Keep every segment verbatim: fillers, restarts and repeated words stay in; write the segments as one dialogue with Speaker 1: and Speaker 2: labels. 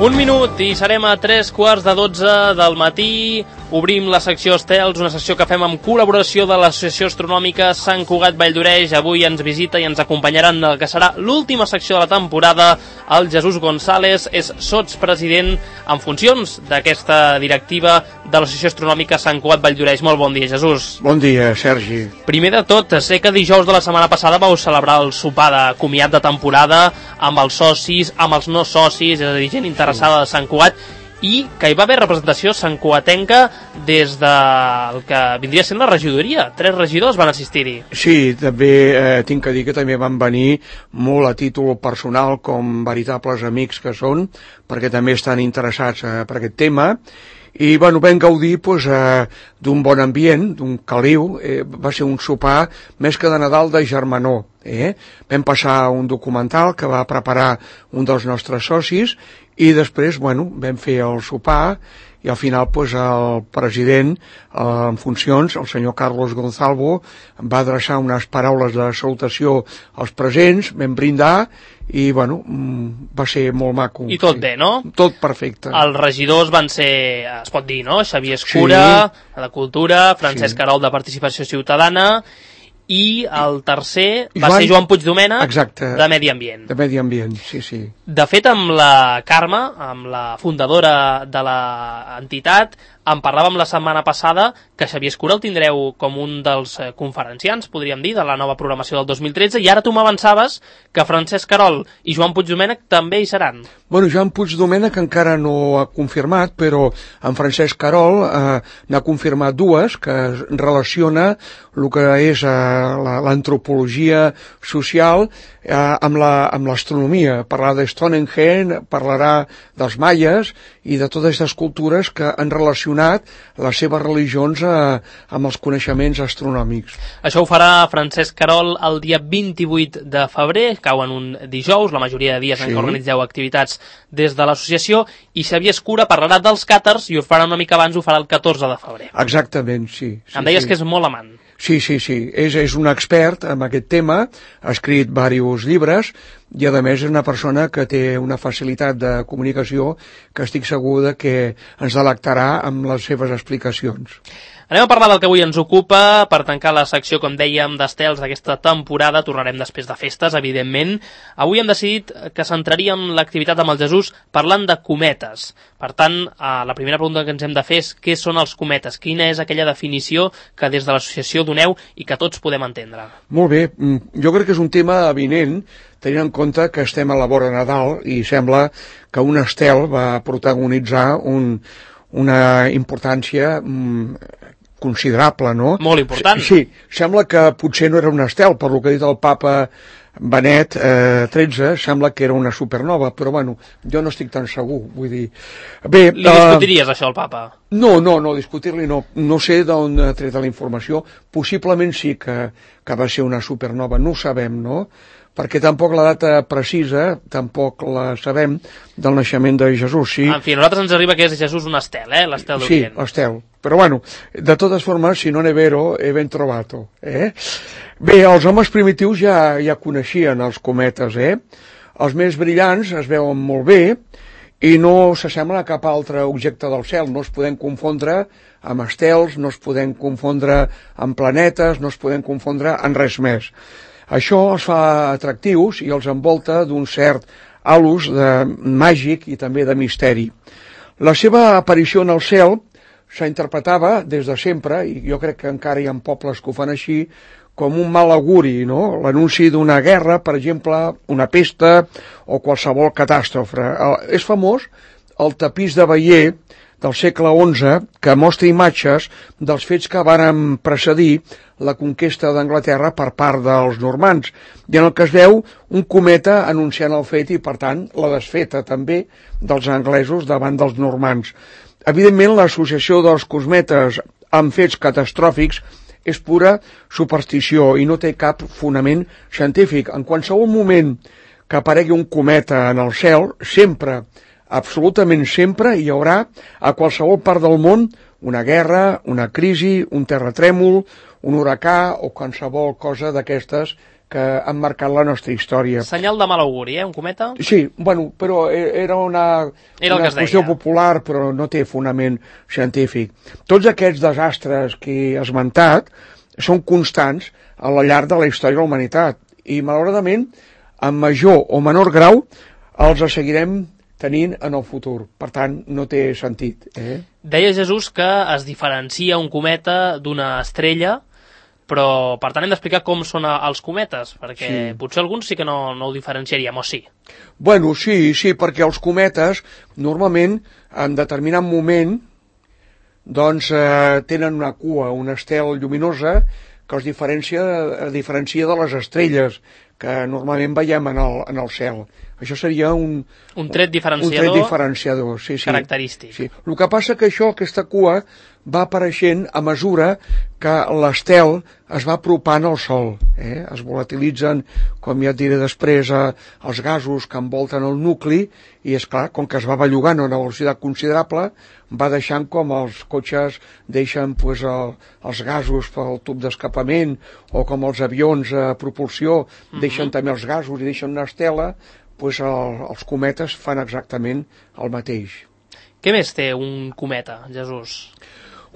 Speaker 1: Un minut i serem a tres quarts de dotze del matí. Obrim la secció Estels, una secció que fem amb col·laboració de l'Associació Astronòmica Sant Cugat Valldoreix. Avui ens visita i ens acompanyaran el que serà l'última secció de la temporada. El Jesús González és sotspresident en funcions d'aquesta directiva de l'Associació Astronòmica Sant Cugat Valldoreix. Molt bon dia, Jesús.
Speaker 2: Bon dia, Sergi.
Speaker 1: Primer de tot, sé que dijous de la setmana passada vau celebrar el sopar de comiat de temporada amb els socis, amb els no socis, és a dir, gent interessada de Sant Cugat, i que hi va haver representació santcugatenca des del que vindria sent la regidoria. Tres regidors van assistir-hi.
Speaker 2: Sí, també eh, tinc que dir que també van venir molt a títol personal, com veritables amics que són, perquè també estan interessats eh, per aquest tema. I bueno, vam gaudir pues, eh, d'un bon ambient, d'un caliu. Eh, va ser un sopar més que de Nadal, de germanor. Eh? Vam passar un documental que va preparar un dels nostres socis i després bueno, vam fer el sopar i al final pues, el president eh, en funcions, el senyor Carlos Gonzalvo, va adreçar unes paraules de salutació als presents, vam brindar i bueno, va ser molt maco.
Speaker 1: I tot
Speaker 2: sí.
Speaker 1: bé, no?
Speaker 2: Tot perfecte.
Speaker 1: Els regidors van ser, es pot dir, no? Xavier Escura, sí. de Cultura, Francesc sí. Carol, de Participació Ciutadana, i el tercer va Joan... ser Joan Puigdomènech,
Speaker 2: Exacte.
Speaker 1: de Medi Ambient.
Speaker 2: De Medi Ambient, sí, sí.
Speaker 1: De fet, amb la Carme, amb la fundadora de l'entitat, en parlàvem la setmana passada que Xavier Escura el tindreu com un dels conferenciants, podríem dir, de la nova programació del dos mil tretze, i ara tu m'avançaves que Francesc Carol i Joan Puigdomènech també hi seran.
Speaker 2: Bueno, Joan Puigdomènech encara no ha confirmat, però en Francesc Carol eh, n'ha confirmat dues, que relaciona el que és eh, l'antropologia social eh, amb l'astronomia. La, parlarà de Stonehenge, parlarà dels maies i de totes aquestes cultures que han relacionat les seves religions eh, amb els coneixements astronòmics.
Speaker 1: Això ho farà Francesc Carol el dia vint-i-vuit de febrer, cau en un dijous, la majoria de dies sí. en què organitzeu activitats des de l'associació, i Xavier Escura parlarà dels càters i ho farà una mica abans, ho farà el catorze de febrer.
Speaker 2: Exactament, sí. sí
Speaker 1: em deies
Speaker 2: sí.
Speaker 1: que és molt amant.
Speaker 2: Sí, sí, sí. És, és un expert en aquest tema, ha escrit diversos llibres i, a més, és una persona que té una facilitat de comunicació que estic segur que ens delectarà amb les seves explicacions.
Speaker 1: Anem a parlar del que avui ens ocupa. Per tancar la secció, com dèiem, d'estels d'aquesta temporada, tornarem després de festes, evidentment. Avui hem decidit que centraríem l'activitat amb el Jesús parlant de cometes. Per tant, la primera pregunta que ens hem de fer és què són els cometes? Quina és aquella definició que des de l'associació doneu i que tots podem entendre?
Speaker 2: Molt bé. Jo crec que és un tema avinent, tenint en compte que estem a la vora de Nadal i sembla que un estel va protagonitzar un, una importància considerable, no?
Speaker 1: Molt important.
Speaker 2: Sí, sembla que potser no era un estel, per lo que ha dit el papa Benet eh, tretze, sembla que era una supernova, però bueno, jo no estic tan segur, vull dir... Bé,
Speaker 1: Li discutiries uh, això al papa?
Speaker 2: No, no, no, discutir-li no. No sé d'on ha tret la informació, possiblement sí que, que va ser una supernova, no ho sabem, no? Perquè tampoc la data precisa, tampoc la sabem, del naixement de Jesús, sí.
Speaker 1: En fi, a nosaltres ens arriba que és Jesús un estel, eh? L'estel d'Orient.
Speaker 2: Sí, l'estel. Però bueno, de totes formes, si non è vero, è ben trovato, eh? Bé, els homes primitius ja, ja coneixien els cometes, eh? Els més brillants es veuen molt bé i no s'assemblen a cap altre objecte del cel, no es podem confondre amb estels, no es podem confondre amb planetes, no es podem confondre en res més. Això els fa atractius i els envolta d'un cert halus de màgic i també de misteri. La seva aparició en el cel s'interpretava des de sempre, i jo crec que encara hi ha pobles que ho fan així, com un mal auguri, no? L'anunci d'una guerra, per exemple, una pesta o qualsevol catàstrofe. És famós el tapís de Bayeux del segle onze, que mostra imatges dels fets que varen precedir la conquesta d'Anglaterra per part dels normands, i en el que es veu un cometa anunciant el fet i, per tant, la desfeta també dels anglesos davant dels normands. Evidentment, l'associació dels cometes amb fets catastròfics és pura superstició i no té cap fonament científic. En qualsevol moment que aparegui un cometa en el cel, sempre, absolutament sempre, hi haurà a qualsevol part del món una guerra, una crisi, un terratrèmol, un huracà o qualsevol cosa d'aquestes que han marcat la nostra història.
Speaker 1: Senyal de mal auguri, eh, un cometa?
Speaker 2: Sí, bueno, però era una,
Speaker 1: era
Speaker 2: una qüestió popular, però no té fonament científic. Tots aquests desastres que he esmentat són constants a la llarg de la història de la humanitat i, malauradament, en major o menor grau, els seguirem tenint en el futur. Per tant, no té sentit. Eh?
Speaker 1: Deia Jesús que es diferencia un cometa d'una estrella, però per tant hem d'explicar com són els cometes, perquè sí. Potser alguns sí que no, no ho diferenciaríem, o sí?
Speaker 2: Bueno, sí, sí, perquè els cometes normalment en determinat moment doncs eh, tenen una cua, un estel lluminosa que els diferencia, diferencia de les estrelles que normalment veiem en el, en el cel. Això seria un,
Speaker 1: un tret diferenciador,
Speaker 2: un tret diferenciador sí, sí.
Speaker 1: característic.
Speaker 2: Sí. El que passa que això, aquesta cua, va apareixent a mesura que l'estel es va apropant al Sol. Eh? Es volatilitzen, com ja et diré després, eh, els gasos que envolten el nucli i, és clar, com que es va bellugant a una velocitat considerable, va deixant com els cotxes deixen pues, el, els gasos pel tub d'escapament o com els avions a propulsió deixen mm-hmm. també els gasos i deixen una estela, pues el, els cometes fan exactament el mateix.
Speaker 1: Què més té un cometa, Jesús?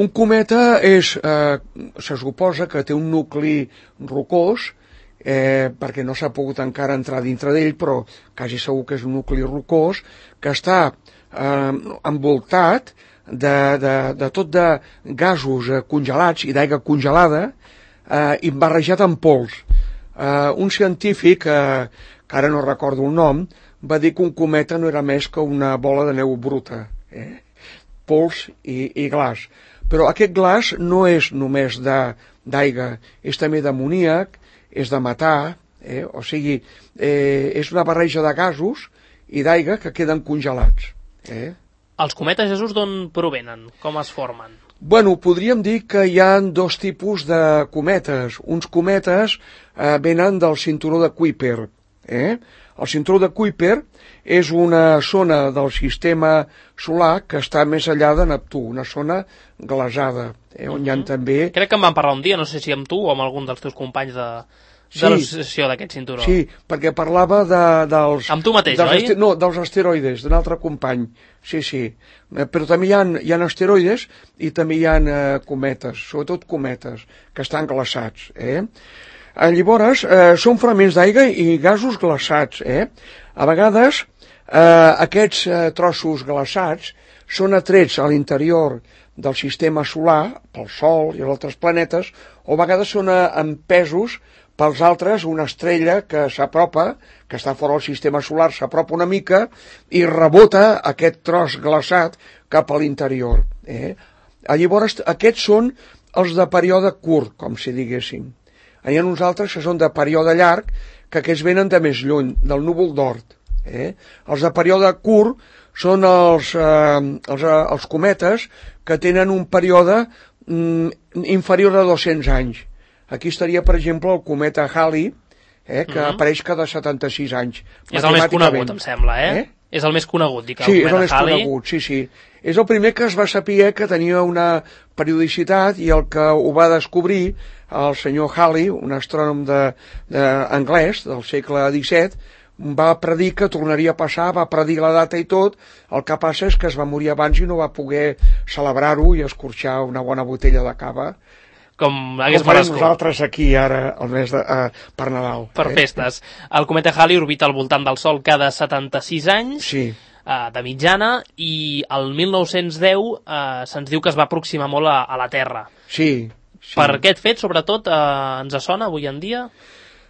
Speaker 2: Un cometa és, eh, se suposa que té un nucli rocós, eh, perquè no s'ha pogut encara entrar dintre d'ell, però quasi segur que és un nucli rocós, que està eh, envoltat de, de, de tot de gasos eh, congelats i d'aigua congelada eh, i barrejat amb pols. Eh, un científic, eh, que ara no recordo el nom, va dir que un cometa no era més que una bola de neu bruta, eh? Pols i, i glaç. Però aquest glaç no és només d'aigua, és també d'amoníac, és de metà, eh? O sigui, eh, és una barreja de gasos i d'aigua que queden congelats. Eh?
Speaker 1: Els cometes, Jesús, d'on provenen? Com es formen?
Speaker 2: Bueno, podríem dir que hi ha dos tipus de cometes. Uns cometes eh, venen del cinturó de Kuiper. Eh? El cinturó de Kuiper és una zona del sistema solar que està més enllà de Neptú, una zona glaçada, eh? On mm-hmm. hi ha també...
Speaker 1: Crec que em van parlar un dia, no sé si amb tu o amb algun dels teus companys de, de sí, l'associació d'aquest cinturó.
Speaker 2: Sí, perquè parlava de, dels...
Speaker 1: Amb tu mateix,
Speaker 2: dels
Speaker 1: oi?
Speaker 2: No, dels asteroides, d'un altre company. Sí, sí. Eh, però també hi ha, hi ha asteroides i també hi ha eh, cometes, sobretot cometes, que estan glaçats, eh? Llavors, eh, són fragments d'aigua i gasos glaçats. Eh? A vegades, eh, aquests eh, trossos glaçats són atrets a l'interior del sistema solar, pel Sol i els altres planetes, o a vegades són eh, empesos pels altres, una estrella que s'apropa, que està fora del sistema solar, s'apropa una mica i rebota aquest tros glaçat cap a l'interior. Eh? Llavors, aquests són els de període curt, com si diguéssim. Hi ha uns altres que són de període llarg, que aquests venen de més lluny, del núvol d'Oort. Eh? Els de període curt són els, eh, els, eh, els cometes que tenen un període mm, inferior a dos-cents anys. Aquí estaria, per exemple, el cometa Halley, eh, que mm-hmm. apareix cada setanta-sis anys.
Speaker 1: És el més conegut, em sembla, eh? eh? És el més conegut, dic, el
Speaker 2: sí,
Speaker 1: cometa Halley. Sí, és el més
Speaker 2: Halley. conegut, sí, sí. És el primer que es va saber que tenia una periodicitat i el que ho va descobrir el senyor Halley, un astrònom de, de, anglès del segle disset, va predir que tornaria a passar, va predir la data i tot, el que passa és que es va morir abans i no va poder celebrar-ho i escorxar una bona botella de cava.
Speaker 1: Com hagués
Speaker 2: com farem nosaltres aquí ara el mes de, uh, per Nadal.
Speaker 1: Per eh? festes. El cometa Halley orbita al voltant del Sol cada setanta-sis anys,
Speaker 2: sí.
Speaker 1: uh, de mitjana, i el mil nou-cents deu uh, se'ns diu que es va aproximar molt a, a la Terra.
Speaker 2: Sí. Sí.
Speaker 1: Per aquest fet, sobretot, eh, ens sona avui en dia?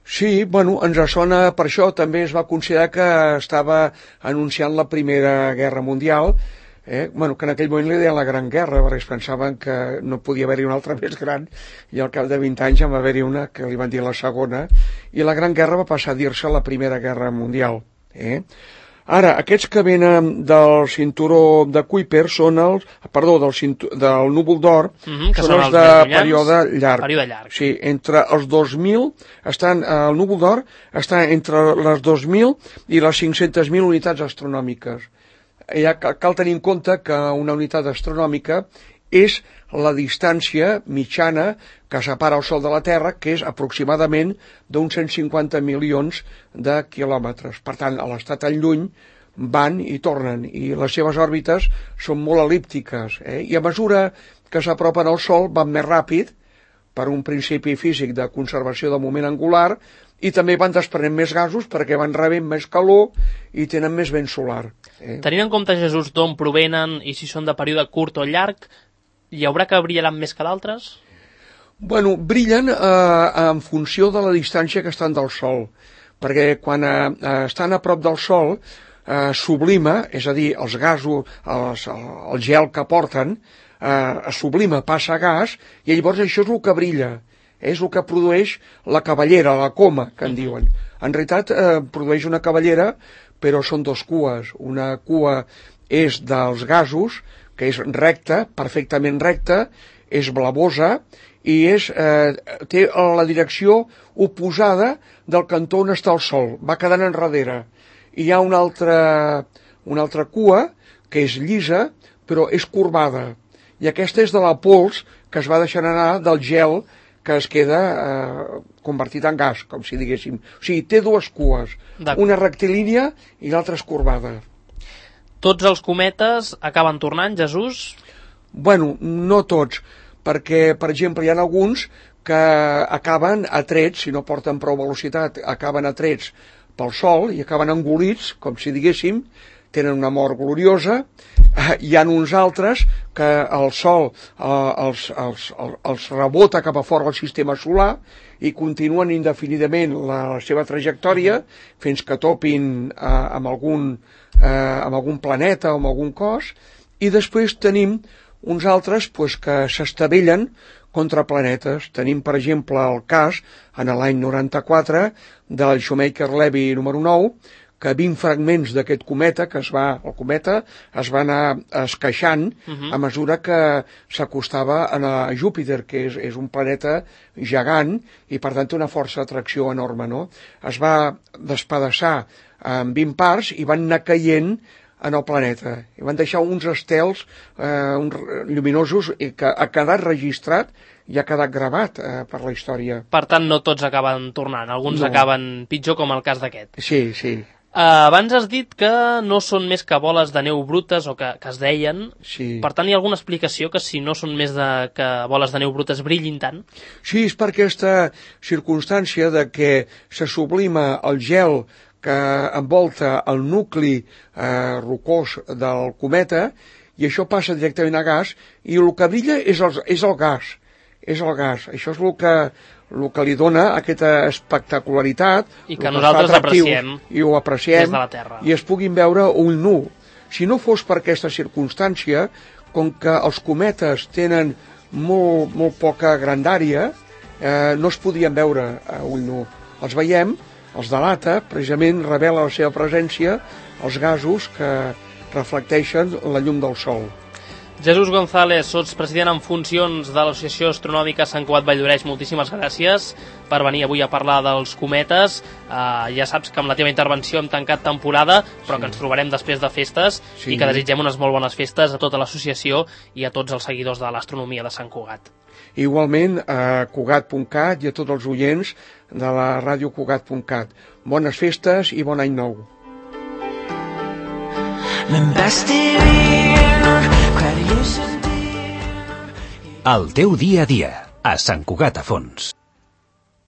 Speaker 2: Sí, bueno, ens sona per això. També es va considerar que estava anunciant la Primera Guerra Mundial, eh? bueno, que en aquell moment li deien la Gran Guerra, perquè es pensaven que no podia haver-hi una altra més gran, i al cap de vint anys en va haver-hi una que li van dir la Segona, i la Gran Guerra va passar a dir-se la Primera Guerra Mundial. Eh? Ara, aquests que venen del cinturó de Kuiper són els, perdó, del, cintu, del núvol d'Oort,
Speaker 1: mm-hmm,
Speaker 2: són, són els, els de període llarg.
Speaker 1: període llarg.
Speaker 2: Sí, entre els dos mil, estan, el núvol d'Oort està entre les dos mil i les cinc-centes mil unitats astronòmiques. Ja cal tenir en compte que una unitat astronòmica és la distància mitjana que separa el Sol de la Terra, que és aproximadament d'uns cent cinquanta milions de quilòmetres. Per tant, a l'estar tan lluny van i tornen, i les seves òrbites són molt el·líptiques, eh? I a mesura que s'apropen al Sol van més ràpid, per un principi físic de conservació de moment angular, i també van desprenent més gasos perquè van rebent més calor i tenen més vent solar. Eh?
Speaker 1: Tenint en compte, Jesús, d'on provenen i si són de període curt o llarg, hi haurà que brillaran més que d'altres?
Speaker 2: Bueno, brillen eh, en funció de la distància que estan del Sol, perquè quan eh, estan a prop del Sol eh, sublima, és a dir, els gasos, els, el gel que porten, eh, sublima, passa a gas, i llavors això és el que brilla. És el que produeix la cavallera, la coma, que en diuen. En realitat eh, produeix una cavallera, però són dos cues. Una cua és dels gasos, que és recta, perfectament recta, és blavosa, i és, eh, té la direcció oposada del cantó on està el Sol. Va quedant enrere. I hi ha una altra, una altra cua, que és llisa, però és corbada. I aquesta és de la pols que es va deixant anar del gel que es queda eh, convertit en gas, com si diguéssim. O sigui, té dues cues, una rectilínia i l'altra és corbada.
Speaker 1: Tots els cometes acaben tornant, Jesús?
Speaker 2: Bueno, no tots, perquè, per exemple, hi ha alguns que acaben atrets, si no porten prou velocitat, acaben atrets pel Sol i acaben engolits, com si diguéssim, tenen una mort gloriosa. Hi ha uns altres que el Sol eh, els, els, els rebota cap a fora del sistema solar i continuen indefinidament la, la seva trajectòria fins que topin eh, amb, algun, eh, amb algun planeta o amb algun cos, i després tenim uns altres pues, que s'estavellen contra planetes. Tenim, per exemple, el cas, en l'any noranta-quatre, del Shoemaker-Levy número nou, que vint fragments d'aquest cometa, que es va, el cometa, es va anar esqueixant uh-huh. a mesura que s'acostava a Júpiter, que és, és un planeta gegant i, per tant, té una força d'atracció enorme, no? Es va despedaçar en vint parts i van anar caient en el planeta. I van deixar uns estels eh, uns lluminosos que ha quedat registrat i ha quedat gravat eh, per la història.
Speaker 1: Per tant, no tots acaben tornant, alguns no. acaben pitjor, com el cas d'aquest.
Speaker 2: Sí, sí.
Speaker 1: Uh, abans has dit que no són més que boles de neu brutes, o que, que es deien.
Speaker 2: Sí.
Speaker 1: Per tant, hi ha alguna explicació que si no són més de, que boles de neu brutes brillin tant?
Speaker 2: Sí, és per aquesta circumstància de que se sublima el gel que envolta el nucli eh, rocós del cometa, i això passa directament a gas, i el que brilla és el, és el gas. És el gas. Això és el que... el que li dona aquesta espectacularitat
Speaker 1: i que nosaltres apreciem
Speaker 2: i ho apreciem
Speaker 1: des de la Terra
Speaker 2: i es puguin veure ull nu. Si no fos per aquesta circumstància, com que els cometes tenen molt, molt poca grandària, eh, no es podien veure a ull nu. Els veiem, els delata, precisament revela la seva presència els gasos que reflecteixen la llum del Sol.
Speaker 1: Jesús González, sots president en funcions de l'Associació Astronòmica Sant Cugat Valldoreix. Moltíssimes gràcies per venir avui a parlar dels cometes. Uh, ja saps que amb la teva intervenció hem tancat temporada, però sí. que ens trobarem després de festes sí. i que desitgem unes molt bones festes a tota l'associació i a tots els seguidors de l'astronomia de Sant Cugat.
Speaker 2: Igualment a Cugat punt cat i a tots els oients de la ràdio Cugat punt cat. Bones festes i bon any nou.
Speaker 3: El teu dia a dia, a Sant Cugat a Fons.